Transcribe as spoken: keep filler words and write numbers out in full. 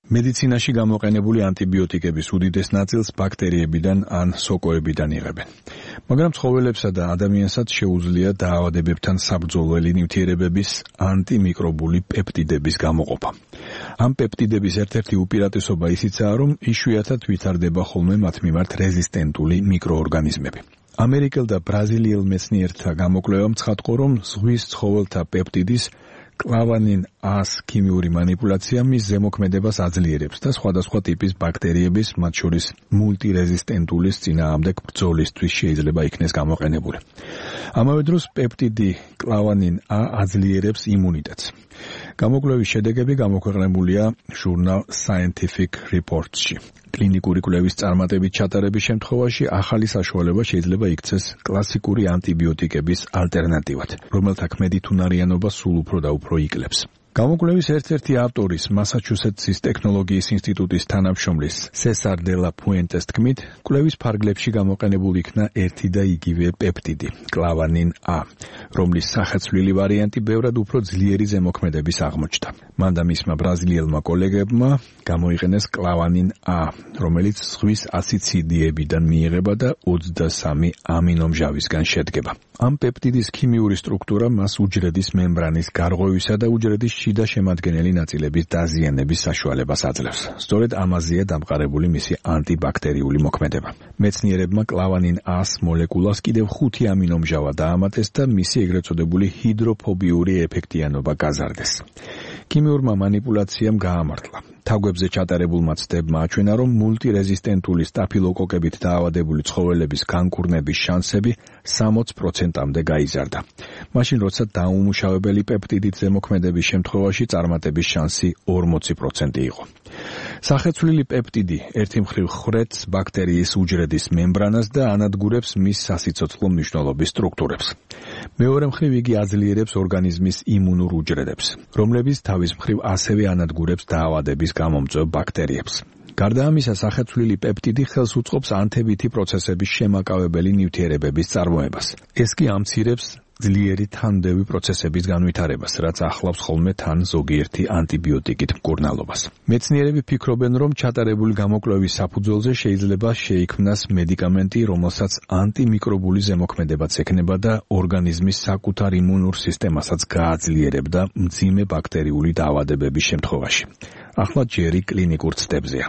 მედიცინაში გამოყენებული ანტიბიოტიკების უდიდეს ნაწილს ბაქტერიებიდან ან სოკოებიდან იღებენ. მაგრამ ცხოველებსა და ადამიანსაც შეუძლია დაავადებებთან საბრძოლველი ნივთიერებების ანტიმიკრობული პეპტიდების გამოყოფა. ამ პეპტიდების ერთ-ერთი უპირატესობა ისიცაა, რომ იშვიათად ვითარდება ხოლმე მათ მიმართ რეზისტენტული მიკროორგანიზმები. ამერიკელ და ბრაზილიელ მეცნიერთა გამოკვლევამ ცხადყო, რომ ზღვის ცხოველთა პეპტიდის კლავანინ A-ს ქიმიური მანიპულაცია მის ზემოქმედებას აძლიერებს და სხვადასხვა ტიპის ბაქტერიების, მათ შორის მულტირეზისტენტულის წინააღმდეგ ბრძოლისთვის შეიძლება იქნეს გამოყენებული. ამავე დროს პეპტიდი კლავანინ A აძლიერებს იმუნიტეტს. გამოკვლევის შედეგები გამოქვეყნებულია ჟურნალ Scientific Reports-ში. კლინიკური კვლევის წარმატებით ჩატარების შემთხვევაში ახალი საშუალება შეიძლება იქცეს კლასიკური ანტიბიოტიკების ალტერნატივად, რომელთა ქმედითუნარიანობა სულ უფრო და უფრო იკლებს. გამოკვლევის ერთ-ერთი ავტორის, მასაჩუსეტსის ტექნოლოგიის ინსტიტუტის თანამშრომლის სესარ დე ლა ფუენტეს თქმით, კვლევის ფარგლებში გამოყენებული იქნა ერთი და იგივე პეპტიდი, კლავანინ A, რომლის სახეცვლილი ვარიანტი ბევრად უფრო ძლიერი ზემოქმედების აღმოჩნდა. მან და მისმა ბრაზილიელმა კოლეგებმა გამოიყენეს კლავანინ A, რომელიც ზღვის ასიციდიებიდან მიიღება და ოცდასამი ამინომჟავისგან შედგება. ამ პეპტიდის ქიმიური სტრუქტურა მას უჯრედის მემბრანის გარღვევისა და უჯრედის შიდა შემადგენელი ნაწილების დაზიანების საშუალებას აძლევს. სწორედ ამაზეა დამყარებული მისი ანტიბაქტერიული მოქმედება. მეცნიერებმა კლავანინ A-ს მოლეკულას კიდევ ხუთი ამინომჟავა დაამატეს და მისი ეგრეთ წოდებული ჰიდროფობიური ეფექტიანობა გაზარდეს. ქიმიურმა მანიპულაციამ გაამართლა. თაგვებზე ჩატარებულმა ცდებმა აჩვენა, რომ მულტირეზისტენტული სტაფილოკოკებით დაავადებული ცხოველების განკურნების შანსები სამოც პროცენტამდე გაიზარდა. მაშინ, როცა დაუმუშავებელი პეპტიდით ზემოქმედების შემთხვევაში წარმატების შანსი ორმოცი პროცენტი იყო. სახეცვლილი პეპტიდი ერთი მხრივ ხრეთს ბაქტერიის უჯრედის მემბრანას და ანადგურებს მის სასიცოცხლო მნიშვნელობის სტრუქტურებს. მეორე მხრივ იგი აძლიერებს ორგანიზმის იმუნურ უჯრედებს, რომლებიც თავის მხრივ ასევე ანადგურებს დაავადების გამომწვევ ბაქტერიებს. გარდა ამისა, სახეცვლილი პეპტიდი ხელს უწყობს ანთებითი პროცესების შემაკავებელი ნივთიერებების წარმოებას. ეს კი ამცირებს ძლიერი თანმდევი პროცესების განვითარებას, რაც ახლავს ხოლმე თან ზოგიერთი ანტიბიოტიკით მკურნალობას. მეცნიერები ფიქრობენ, რომ ჩატარებული გამოკვლევის საფუძველზე შეიძლება შეიქმნას მედიკამენტი, რომელსაც ანტიმიკრობული ზემოქმედებაც ექნება და ორგანიზმის საკუთარ იმუნურ სისტემასაც გააძლიერებდა მძიმე ბაქტერიული დაავადებების შემთხვევაში. ახლა ჯერი კლინიკურ ცდებზეა.